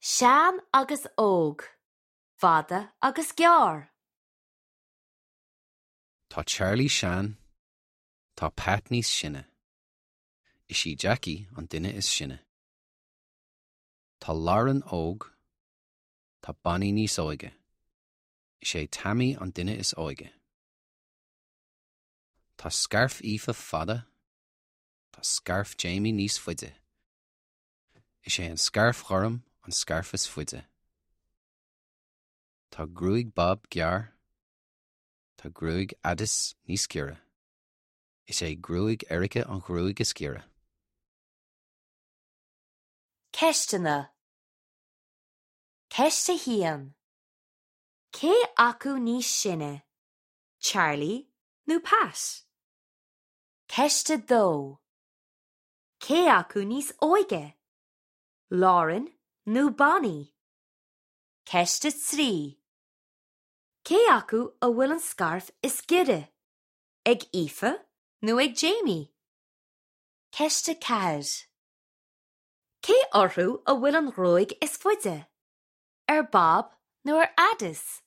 Sean agus óg, fada agus gearr. Tá Charlie sean, tá Pat níos sine. Is í Jackie an duine is sine. Tá Lauren óg, tá Bonnie níos óige. Is é Tammy an duine is óige. Tá scairf Aoife fada, tá scairf Jamie níos faide. Is é an scairf ghorm an scairf is faide. Tá gruaig Bob gearr, tá gruaig Addis níos giorra. Is é gruaig Erica an ghruaig is giorra. Ceisteanna Ceist 1. Cé acu níos sine, Charlie nó Pat? Ceist 2. Cé acu níos óige, Lauren nó Bonnie? Ceist 3. Cé acu a bhfuil an scairf is giorra, ag Aoife nó ag Jamie? Ceist 4. Cé orthu a bhfuil an ghruaig is faide, ar Bob nó ar Addis?